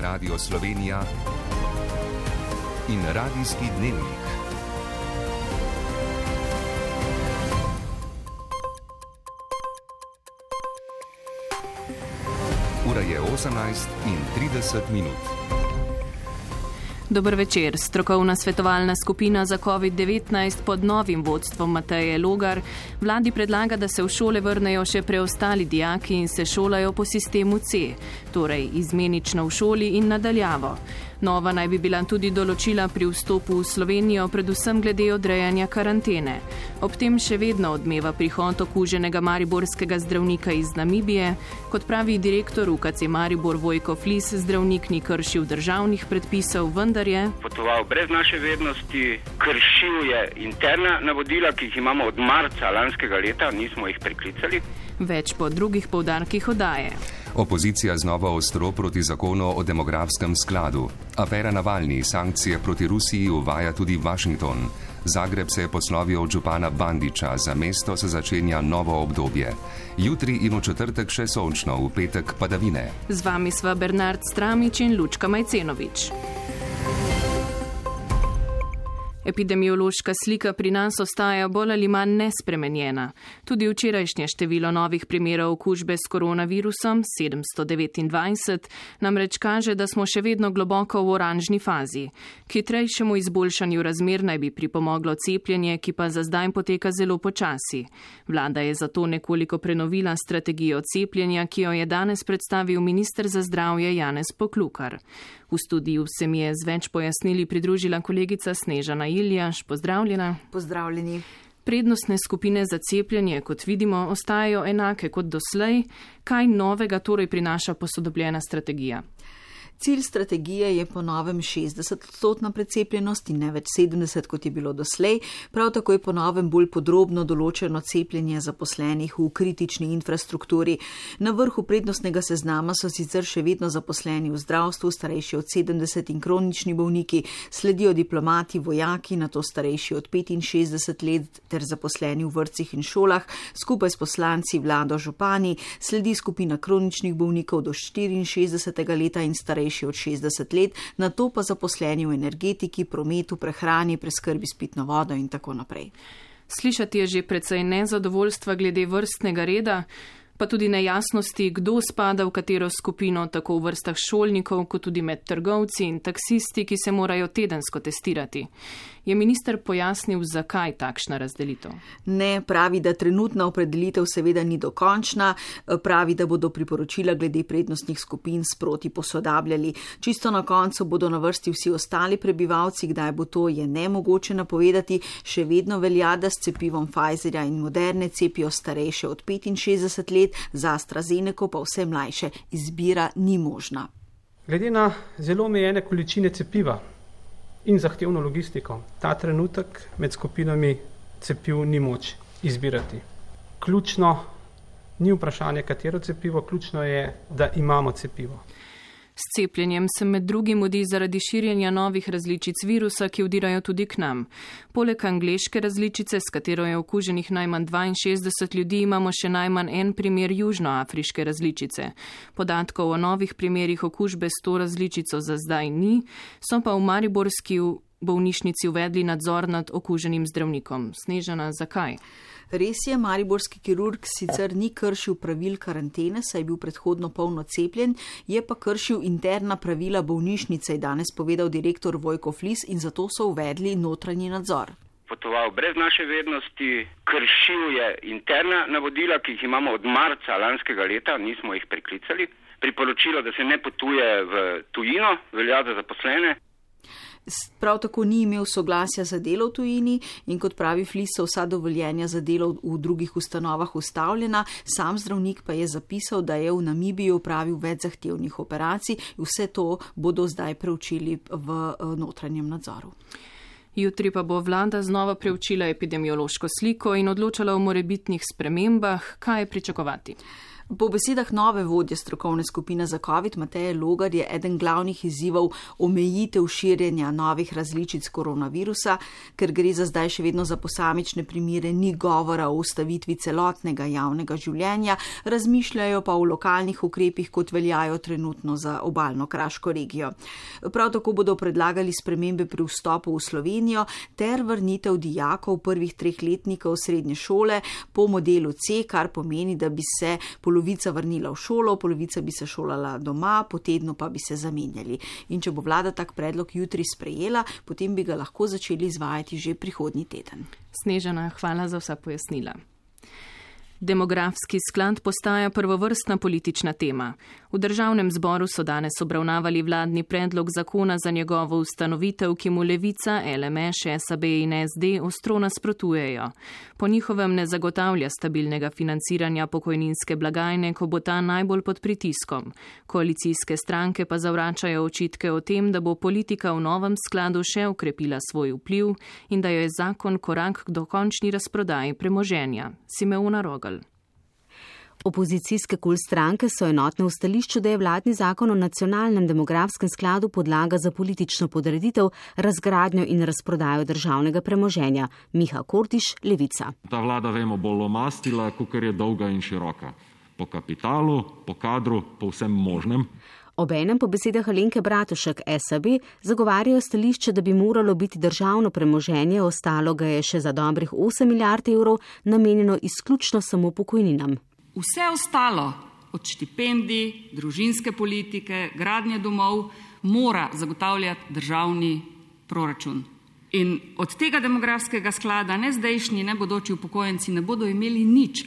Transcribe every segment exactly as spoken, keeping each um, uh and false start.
je Radio Slovenija in Radijski dnevnik. Ura je osemnajst in trideset minut. Dober večer. Strokovna svetovalna skupina za covid devetnajst pod novim vodstvom Mateje Logar vladi predlaga, da se v šole vrnejo še preostali dijaki in se šolajo po sistemu C, torej izmenično v šoli in nadaljavo. Nova naj bi bila tudi določila pri vstopu v Slovenijo, predvsem glede odrejanja karantene. Ob tem še vedno odmeva prihod okuženega mariborskega zdravnika iz Namibije. Kot pravi direktor U K C Maribor Vojko Flis, zdravnik ni kršil državnih predpisov, vendar je potoval brez naše vednosti, kršil je interna navodila, ki jih imamo od marca lanskega leta, nismo jih preklicali. Več po drugih poudarkih oddaje. Opozicija znova ostro proti zakonu o demografskem skladu. Afera Navalni sankcije proti Rusiji uvaja tudi Washington. Zagreb se je poslovil od župana Bandića, za mesto se začenja novo obdobje. Jutri in v četrtek še sončno, v petek padavine. Z vami sva Bernard Stramič in Lučka Majcenovič. Epidemiološka slika pri nas ostaja bolj ali manj nespremenjena. Tudi včerajšnje število novih primerov okužbe s koronavirusom, sedemsto devetindvajset, namreč kaže, da smo še vedno globoko v oranžni fazi. K hitrejšemu izboljšanju razmer naj bi pripomoglo cepljenje, ki pa za zdaj poteka zelo počasi. Vlada je zato nekoliko prenovila strategijo cepljenja, ki jo je danes predstavil minister za zdravje Janez Poklukar. V studiju se mi je z več pojasnili pridružila kolegica Snežana Iljaš. Pozdravljena. Pozdravljeni. Prednostne skupine za cepljenje, kot vidimo, ostajajo enake kot doslej. Kaj novega torej prinaša posodobljena strategija? Cilj strategije je po novem šestdeset odstotna precepljenost in ne več sedemdeset, kot je bilo doslej. Prav tako je po novem bolj podrobno določeno cepljenje zaposlenih v kritični infrastrukturi. Na vrhu prednostnega seznama so sicer še vedno zaposleni v zdravstvu, starejši od sedemdeset in kronični bolniki, sledijo diplomati, vojaki, nato starejši od petinšestdeset let ter zaposleni v vrtcih in šolah, skupaj s poslanci, vlado, župani, sledi skupina kroničnih bolnikov do štiriinšestdesetega leta in starejši od šestdeset let, nato pa zaposleni v energetiki, prometu, prehrani, preskrbi s pitno vodo in tako naprej. Slišati je že precej nezadovoljstva glede vrstnega reda, pa tudi nejasnosti, kdo spada v katero skupino, tako v vrstah šolnikov, kot tudi med trgovci in taksisti, ki se morajo tedensko testirati. Je minister pojasnil, zakaj takšna razdelitev? Ne, pravi, da trenutna opredelitev seveda ni dokončna, pravi, da bodo priporočila glede prednostnih skupin sproti posodabljali. Čisto na koncu bodo na vrsti vsi ostali prebivalci, kdaj bo to, je nemogoče napovedati. Še vedno velja, da s cepivom Pfizerja in Moderne cepijo starejše od petinšestdeset let, za AstraZeneco pa vse mlajše. Izbira ni možna. Glede na zelo omejene količine cepiva in zahtevno logistiko, ta trenutek med skupinami cepiv ni moč izbirati. Ključno ni vprašanje, katero cepivo, ključno je, da imamo cepivo. S cepljenjem se med drugim mudi zaradi širjenja novih različic virusa, ki vdirajo tudi k nam. Poleg angleške različice, s katero je okuženih najmanj dvainšestdeset ljudi, imamo še najmanj en primer južnoafriške različice. Podatkov o novih primerih okužbe s to različico za zdaj ni, so pa v mariborski bolnišnici uvedli nadzor nad okuženim zdravnikom. Snežana, zakaj? Res je, mariborski kirurg sicer ni kršil pravil karantene, saj je bil predhodno polno cepljen, je pa kršil interna pravila bolnišnice, je danes povedal direktor Vojko Flis, in zato so uvedli notranji nadzor. Potoval brez naše vednosti, kršil je interna navodila, ki jih imamo od marca lanskega leta, nismo jih preklicali. Priporočilo, da se ne potuje v tujino, velja za zaposlene. Prav tako ni imel soglasja za delo v tujini in kot pravi Flis, so vsa dovoljenja za delo v drugih ustanovah ustavljena. Sam zdravnik pa je zapisal, da je v Namibiji opravil več zahtevnih operacij. Vse to bodo zdaj preučili v notranjem nadzoru. Jutri pa bo vlada znova preučila epidemiološko sliko in odločala o morebitnih spremembah. Kaj je pričakovati? Po besedah nove vodje strokovne skupine za COVID, Mateje Logar, je eden glavnih izzivov omejitev širjenja novih različic koronavirusa, ker gre za zdaj še vedno za posamične primere, ni govora o ustavitvi celotnega javnega življenja, razmišljajo pa o lokalnih ukrepih, kot veljajo trenutno za obalno kraško regijo. Prav tako bodo predlagali spremembe pri vstopu v Slovenijo ter vrnitev dijakov prvih treh letnikov srednje šole po modelu C, kar pomeni, da bi se polovica vrnila v šolo, polovica bi se šolala doma, po tednu pa bi se zamenjali. In če bo vlada tak predlog jutri sprejela, potem bi ga lahko začeli izvajati že prihodnji teden. Snežana, hvala za vsa pojasnila. Demografski sklad postaja prvovrstna politična tema. V državnem zboru so danes obravnavali vladni predlog zakona za njegovo ustanovitev, ki mu Levica, L M Š, S A B in S D ostro nasprotujejo. Po njihovem ne zagotavlja stabilnega financiranja pokojninske blagajne, ko bo ta najbolj pod pritiskom. Koalicijske stranke pa zavračajo očitke o tem, da bo politika v novem skladu še okrepila svoj vpliv in da je zakon korak k dokončni razprodaji premoženja. Simeona Rogel. Opozicijske kul stranke so enotne v stališču, da je vladni zakon o nacionalnem demografskem skladu podlaga za politično podreditev, razgradnjo in razprodajo državnega premoženja. Miha Kordiš, Levica. Ta vlada, vemo, bo lomastila, kakor je dolga in široka. Po kapitalu, po kadru, po vsem možnem. Obenem po besedah Alenke Bratušek S A B zagovarjajo stališče, da bi moralo biti državno premoženje, ostalo ga je še za dobrih osem milijard evrov, namenjeno izključno samo pokojninam. Vse ostalo, od štipendij, družinske politike, gradnje domov, mora zagotavljati državni proračun. In od tega demografskega sklada ne zdajšnji, ne bodoči upokojenci ne bodo imeli nič.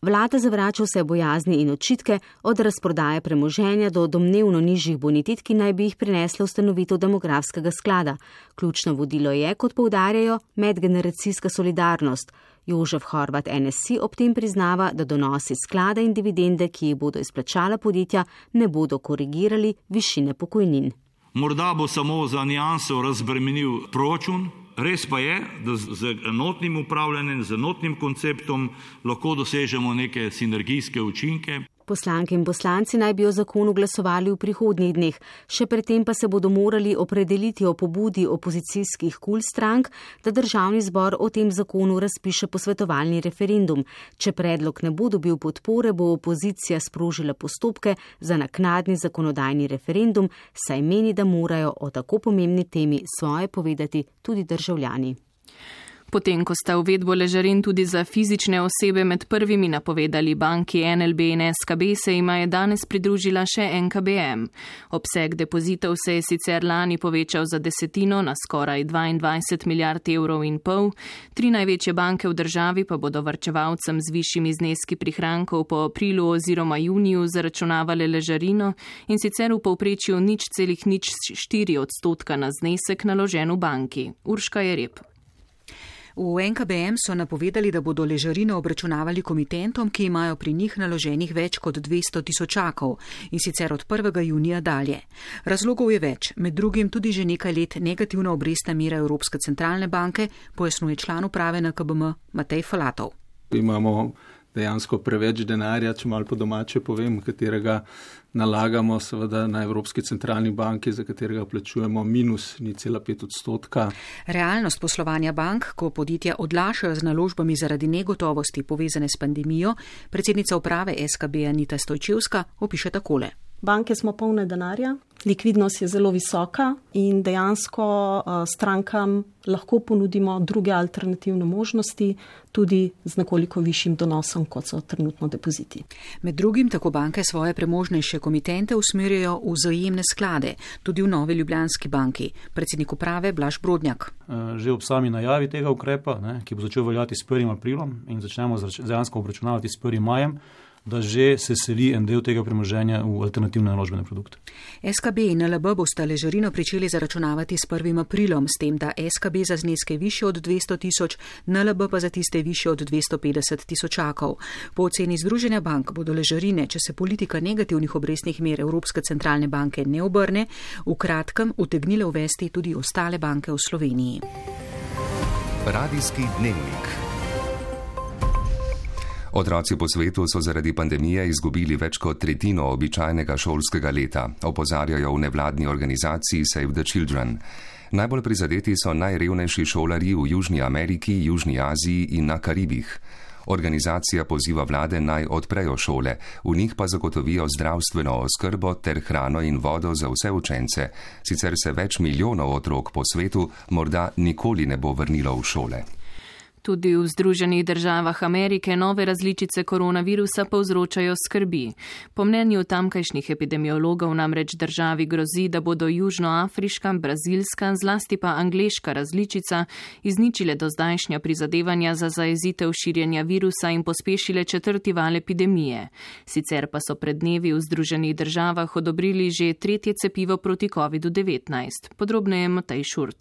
Vlada zavrača vse bojazni in očitke, od razprodaje premoženja do domnevno nižjih bonitet, ki naj bi jih prinesla ustanovitev demografskega sklada. Ključno vodilo je, kot poudarjajo, medgeneracijska solidarnost. Jožef Horvat N S I ob tem priznava, da donosi sklada in dividende, ki jih bodo izplačala podjetja, ne bodo korigirali višine pokojnin. Morda bo samo za nianso razbremenil proračun. Res pa je, da z enotnim upravljanjem, z enotnim konceptom lahko dosežemo neke sinergijske učinke. Poslanke in poslanci naj bi o zakonu glasovali v prihodnjih dneh, še predtem pa se bodo morali opredeliti o pobudi opozicijskih kul strank, da državni zbor o tem zakonu razpiše posvetovalni referendum. Če predlog ne bo dobil podpore, bo opozicija sprožila postopke za naknadni zakonodajni referendum, saj meni, da morajo o tako pomembni temi svoje povedati tudi državljani. Potem, ko sta uvedbo ležarin tudi za fizične osebe med prvimi napovedali banki N L B in S K B, se jima je danes pridružila še N K B M. Obseg depozitov se je sicer lani povečal za desetino na skoraj dvaindvajset milijard evrov in pol. Tri največje banke v državi pa bodo varčevalcem z višjimi zneski prihrankov po aprilu oziroma juniju zaračunavale ležarino in sicer v povprečju nič celih nič štiri odstotka na znesek naložen v banki. Urška Jereb. V N K B M so napovedali, da bodo ležarino obračunavali komitentom, ki imajo pri njih naloženih več kot dvesto tisočakov in sicer od prvega junija dalje. Razlogov je več, med drugim tudi že nekaj let negativna obrestna mera Evropske centralne banke, pojasnjuje član uprave N K B M Matej Falatov. Imamo dejansko preveč denarja, če malo po domače povem, katerega nalagamo seveda na Evropski centralni banki, za katerega plačujemo minus nič cela pet odstotka. Realnost poslovanja bank, ko podjetja odlašajo z naložbami zaradi negotovosti povezane s pandemijo, predsednica uprave S K B Anita Stojčevska opiše takole. Banke smo polne denarja, likvidnost je zelo visoka in dejansko strankam lahko ponudimo druge alternativne možnosti, tudi z nekoliko višjim donosom, kot so trenutno depoziti. Med drugim tako banke svoje premožnejše komitente usmerjajo v vzajemne sklade, tudi v Novi Ljubljanski banki. Predsednik uprave Blaž Brodnjak. Že ob sami najavi tega ukrepa, ne, ki bo začel veljati s prvim aprilom in začnemo dejansko obračunavati s prvim majem, da že se seli en del tega premoženja v alternativne naložbene produkte. S K B in N L B bosta ležarino pričeli zaračunavati s prvim aprilom, s tem, da S K B za zneske više od dvesto tisoč, N L B pa za tiste više od dvesto petdeset tisočakov. Po oceni Združenja bank bodo ležarine, če se politika negativnih obrestnih mer Evropske centralne banke ne obrne, v kratkem utegnile uvesti tudi ostale banke v Sloveniji. Radijski dnevnik. Otroci po svetu so zaradi pandemije izgubili več kot tretjino običajnega šolskega leta, opozarjajo v nevladni organizaciji Save the Children. Najbolj prizadeti so najrevnejši šolarji v Južni Ameriki, Južni Aziji in na Karibih. Organizacija poziva vlade naj odprejo šole, v njih pa zagotovijo zdravstveno oskrbo ter hrano in vodo za vse učence, sicer se več milijonov otrok po svetu morda nikoli ne bo vrnilo v šole. Tudi v Združenih državah Amerike nove različice koronavirusa povzročajo skrbi. Po mnenju tamkajšnjih epidemiologov namreč državi grozi, da bodo južnoafriška, brazilska, zlasti pa angleška različica izničile dozdajšnja prizadevanja za zajezitev širjenja virusa in pospešile četrti val epidemije. Sicer pa so pred dnevi v Združenih državah odobrili že tretje cepivo proti kovidu devetnajst. Podrobneje Matej Šurc.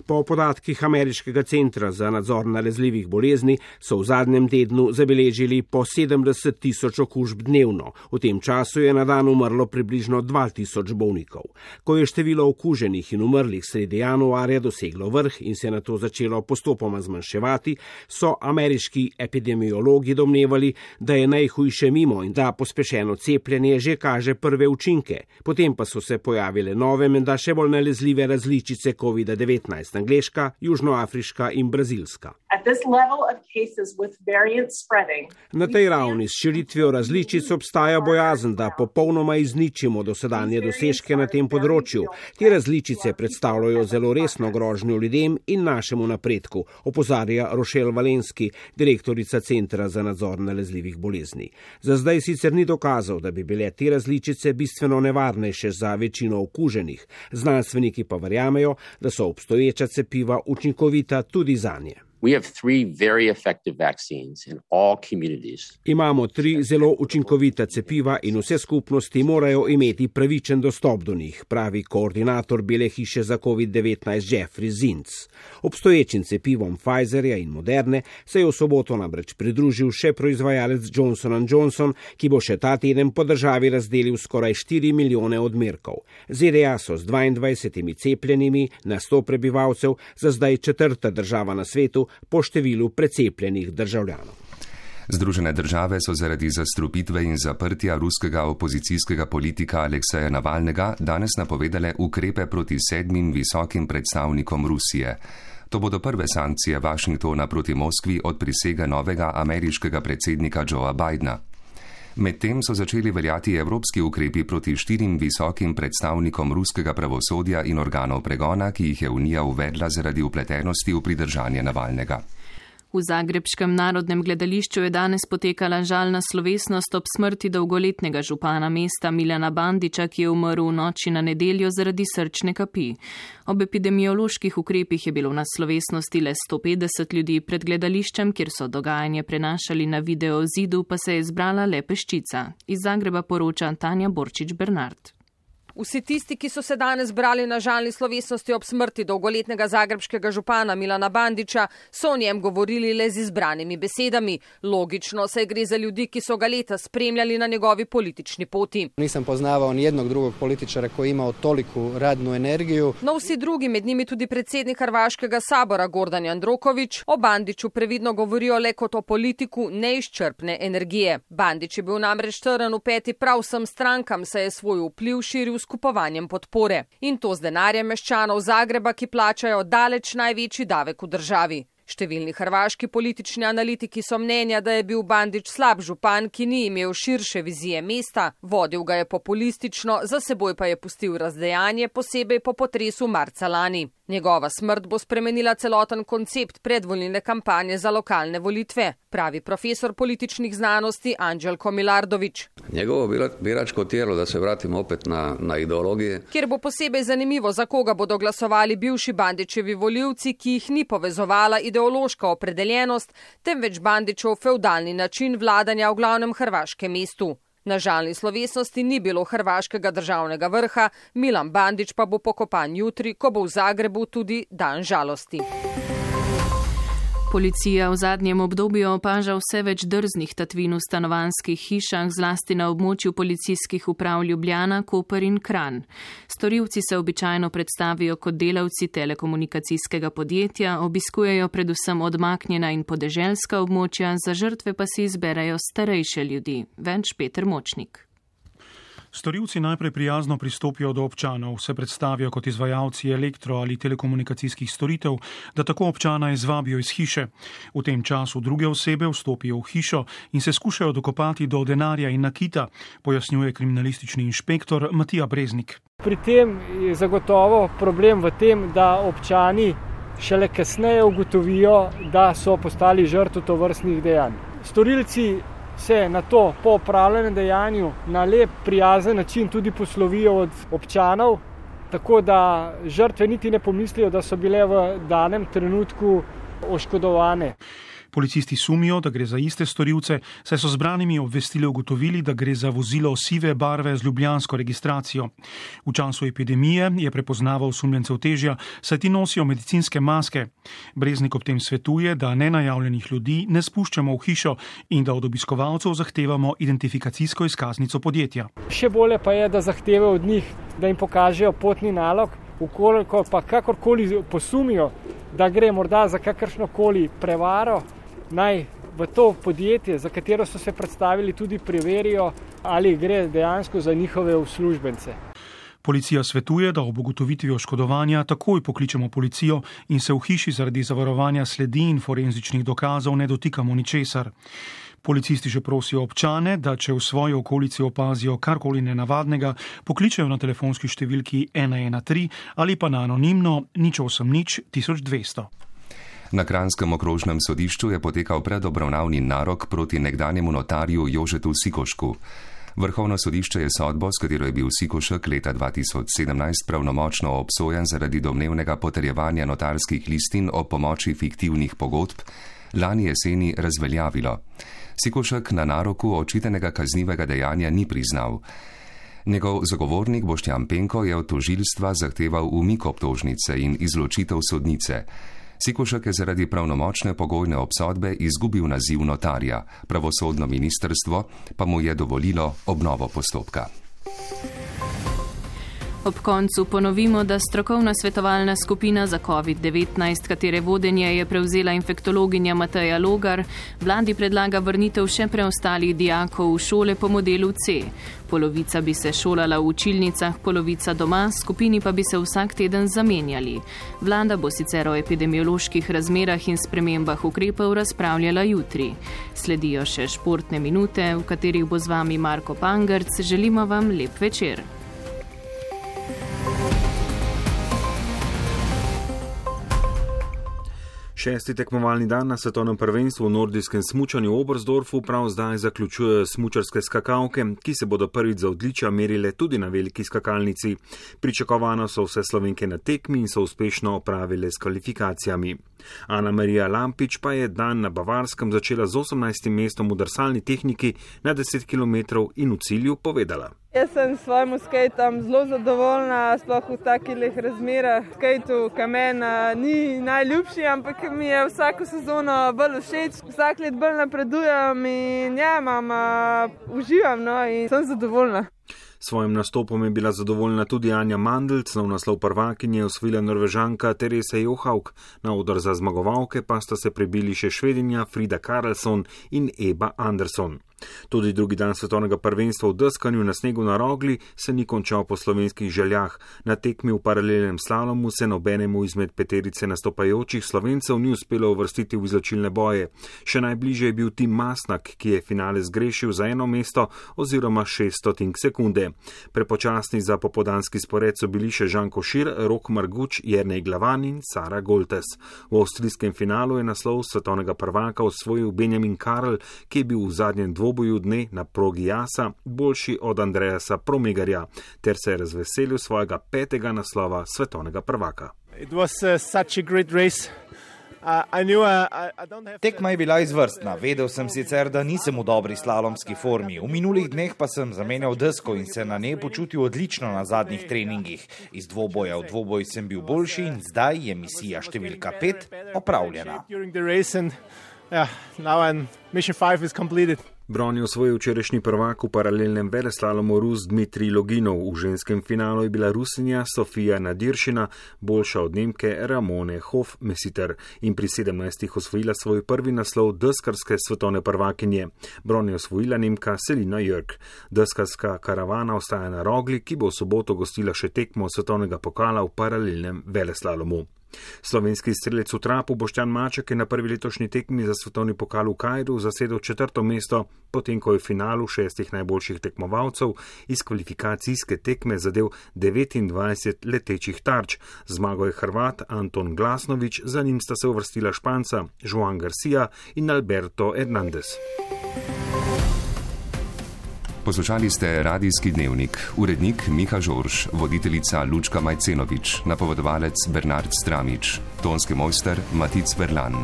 Po podatkih Ameriškega centra za nadzor nalezljivih bolezni so v zadnjem tednu zabeležili po sedemdeset tisoč okužb dnevno. V tem času je na dan umrlo približno dva tisoč bolnikov. Ko je število okuženih in umrlih sredi januarja doseglo vrh in se nato začelo postopoma zmanjševati, so ameriški epidemiologi domnevali, da je najhujše mimo in da pospešeno cepljenje že kaže prve učinke. Potem pa so se pojavile nove, menda še bolj nalezljive različice kovida devetnajst. Angleška, južnoafriška in brazilska. Na tej ravni s širitvijo različic obstaja bojazen, da popolnoma izničimo dosedanje dosežke na tem področju. Te različice predstavljajo zelo resno grožnjo ljudem in našemu napredku, opozarja Rochelle Valenski, direktorica Centra za nadzor nalezljivih bolezni. Za zdaj sicer ni dokazal, da bi bile te različice bistveno nevarnejše za večino okuženih. Znanstveniki pa verjamejo, da so obstoječa cepiva učinkovita tudi zanje. We have three very effective vaccines in all communities. Imamo tri zelo učinkovita cepiva in vse skupnosti morajo imeti pravičen dostop do njih, pravi koordinator Bele hiše za kovid devetnajst Jeffrey Zients. Obstoječim cepivom Pfizerja in Moderne se je v soboto namreč pridružil še proizvajalec Johnson and Johnson, ki bo še ta teden po državi razdelil skoraj štiri milijone odmerkov. Z D A so z dvaindvajsetimi cepljenimi na sto prebivalcev za zdaj četrta država na svetu po številu precepljenih državljanov. Združene države so zaradi zastrupitve in zaprtja ruskega opozicijskega politika Alekseja Navalnega danes napovedale ukrepe proti sedmim visokim predstavnikom Rusije. To bodo prve sankcije Washingtona proti Moskvi od prisege novega ameriškega predsednika Joea Bidna. Medtem so začeli veljati evropski ukrepi proti štirim visokim predstavnikom ruskega pravosodja in organov pregona, ki jih je Unija uvedla zaradi vpletenosti v pridržanje Navalnega. V zagrebškem narodnem gledališču je danes potekala žalna slovesnost ob smrti dolgoletnega župana mesta Milana Bandića, ki je umrl v noči na nedeljo zaradi srčne kapi. Ob epidemioloških ukrepih je bilo na slovesnosti le sto petdeset ljudi, pred gledališčem, kjer so dogajanje prenašali na video zidu, pa se je zbrala le peščica. Iz Zagreba poroča Tanja Borčič Bernard. Vsi tisti, ki so se danes brali na žalni slovesnosti ob smrti dolgoletnega zagrebškega župana Milana Bandića, so o njem govorili le z izbranimi besedami. Logično, saj gre za ljudi, ki so ga leta spremljali na njegovi politični poti. Nisam poznavao ni jednog drugog političara koji je imao toliku radnu energiju. No vsi drugi, med njimi tudi predsednik Hrvaškega sabora Gordan Jandroković, o Bandiću previdno govorijo le kot o politiku neizčrpne energije. Bandić je bil namreč trn v peti prav vsem strankam, saj je svoj vpliv širil s kupovanjem podpore. In to z denarjem meščanov Zagreba, ki plačajo daleč največji davek v državi. Številni hrvaški politični analitiki so mnenja, da je bil Bandić slab župan, ki ni imel širše vizije mesta, vodil ga je populistično, za seboj pa je pustil razdejanje, posebej po potresu marca lani. Njegova smrt bo spremenila celoten koncept predvolilne kampanje za lokalne volitve, pravi profesor političnih znanosti Anđelko Milardović. Njegovo biračko tijelo, da se vratimo opet na, na ideologije. Kjer bo posebej zanimivo, za koga bodo glasovali bivši Bandićevi volivci, ki jih ni povezovala ideološka opredeljenost, temveč Bandićev feudalni način vladanja v glavnem hrvaškem mestu. Na žalni slovesnosti ni bilo hrvaškega državnega vrha, Milan Bandić pa bo pokopan jutri, ko bo v Zagrebu tudi dan žalosti. Policija v zadnjem obdobju opaža vse več drznih tatvin v stanovanjskih hišah, zlasti na območju policijskih uprav Ljubljana, Koper in Kranj. Storilci se običajno predstavijo kot delavci telekomunikacijskega podjetja, obiskujejo predvsem odmaknjena in podeželska območja, za žrtve pa si izberejo starejše ljudi. Več Peter Močnik. Storilci najprej prijazno pristopijo do občanov, se predstavijo kot izvajalci elektro- ali telekomunikacijskih storitev, da tako občana izvabijo iz hiše. V tem času druge osebe vstopijo v hišo in se skušajo dokopati do denarja in nakita, pojasnjuje kriminalistični inšpektor Matija Breznik. Pri tem je zagotovo problem v tem, da občani šele kasneje ugotovijo, da so postali žrtve tovrstnih dejanj. Storilci se na to po opravljenem dejanju na lep, prijazen način tudi poslovijo od občanov, tako da žrtve niti ne pomislijo, da so bile v danem trenutku oškodovane. Policisti sumijo, da gre za iste storilce, saj so zbranimi obvestili ugotovili, da gre za vozilo sive barve z ljubljansko registracijo. V času epidemije je prepoznaval osumljencev težja, saj ti nosijo medicinske maske. Breznik ob tem svetuje, da nenajavljenih ljudi ne spuščamo v hišo in da od obiskovalcev zahtevamo identifikacijsko izkaznico podjetja. Še bolje pa je, da zahtevajo od njih, da jim pokažejo potni nalog, ukoliko pa kakorkoli posumijo, da gre morda za kakršnokoli prevaro, naj v to podjetje, za katero so se predstavili, tudi preverijo, ali gre dejansko za njihove uslužbence. Policija svetuje, da ob ugotovitvi oškodovanja takoj pokličemo policijo in se v hiši zaradi zavarovanja sledi in forenzičnih dokazov ne dotikamo ničesar. Policisti že prosijo občane, da če v svoji okolici opazijo karkoli nenavadnega, pokličejo na telefonski številki ena ena tri ali pa na anonimno nič osem nič tisoč dvesto. Na Kranjskem okrožnem sodišču je potekal predobravnavni narok proti nekdanjemu notarju Jožetu Sikošku. Vrhovno sodišče je sodbo, s katero je bil Sikošek leta dva tisoč sedemnajst pravnomočno obsojen zaradi domnevnega potrjevanja notarskih listin o pomoči fiktivnih pogodb, lani jeseni razveljavilo. Sikošek na naroku očitenega kaznivega dejanja ni priznal. Njegov zagovornik Boštjan Penko je od tožilstva zahteval umik obtožnice in izločitev sodnice. Sikošek je zaradi pravnomočne pogojne obsodbe izgubil naziv notarja, pravosodno ministrstvo pa mu je dovolilo obnovo postopka. Ob koncu ponovimo, da strokovna svetovalna skupina za covid devetnajst, katere vodenje je prevzela infektologinja Mateja Logar, vladi predlaga vrnitev še preostalih dijakov v šole po modelu C. Polovica bi se šolala v učilnicah, polovica doma, skupini pa bi se vsak teden zamenjali. Vlada bo sicer o epidemioloških razmerah in spremembah ukrepov razpravljala jutri. Sledijo še športne minute, v katerih bo z vami Marko Pangerc. Želimo vam lep večer. Šesti tekmovalni dan na svetovnem prvenstvu v nordijskem smučanju v Oberstdorfu prav zdaj zaključujejo smučarske skakalke, ki se bodo prvič za odličja merile tudi na veliki skakalnici. Pričakovano so vse Slovenke na tekmi in so uspešno opravile s kvalifikacijami. Ana Marija Lampič pa je dan na Bavarskem začela z osemnajstim mestom v drsalni tehniki na deset kilometrov in v cilju povedala. Jaz sem s svojim skejtom zelo zadovoljna, sploh v takih razmerah. Skejtu kamen ni najljubši, ampak mi je vsako sezono bolj všeč. Vsak let bolj napredujem in ja, imam, uživam no, in sem zadovoljna. Svojim nastopom je bila zadovoljna tudi Anja Mandelc, nov naslov prvakinje osvojila Norvežanka Teresa Johaug, na oder za zmagovalke pa sta se prebili še Švedinja Frida Karlsson in Eba Andersson. Tudi drugi dan svetovnega prvenstva v deskanju na snegu na Rogli se ni končal po slovenskih željah. Na tekmi v paralelnem slalomu se nobenemu izmed peterice nastopajočih Slovencev ni uspelo uvrstiti v izločilne boje. Še najbližje je bil Tim Masnak, ki je finale zgrešil za eno mesto oziroma šest stotink sekunde. Prepočasni za popodanski spored so bili še Žan Košir, Rok Marguč, Jernej Glavan in Sara Goltes. V avstrijskem finalu je naslov svetovnega prvaka osvojil Benjamin Karl, ki je bil v zadnjem dvoboju dne na progi Jasa boljši od Andreasa Promegarja, ter se je razveselil svojega petega naslova svetovnega prvaka. It was uh, such a great race. Tekma je bila izvrstna. Vedel sem sicer, da nisem v dobri slalomski formi. V minulih dneh pa sem zamenjal desko in se na njej počutil odlično na zadnjih treningih. Iz dvoboja v dvoboj sem bil boljši in zdaj je misija številka pet opravljena. Bron je osvojil včerajšnji prvak v paralelnem veleslalomu Rus Dmitrij Loginov. V ženskem finalu je bila Rusinja Sofija Nadiršina boljša od Nemke Ramone Hofmesiter in pri sedemnajstih osvojila svoj prvi naslov deskarske svetovne prvakinje. Bron je osvojila Nemka Selina Jörg. Deskarska karavana ostaja na Rogli, ki bo v soboto gostila še tekmo svetovnega pokala v paralelnem veleslalomu. Slovenski strelec v trapu Boštjan Maček je na prvi letošnji tekmi za svetovni pokal v Kairu zasedel četrto mesto, potem ko je v finalu šestih najboljših tekmovalcev iz kvalifikacijske tekme zadel devetindvajset letečih tarč. Zmago je Hrvat Anton Glasnović, za njim sta se uvrstila Španca Joan Garcia in Alberto Hernandez. Poslušali ste Radijski dnevnik, urednik Miha Žorž, voditeljica Lučka Majcenovič, napovedovalec Bernard Stramič, tonski mojster Matic Verlan.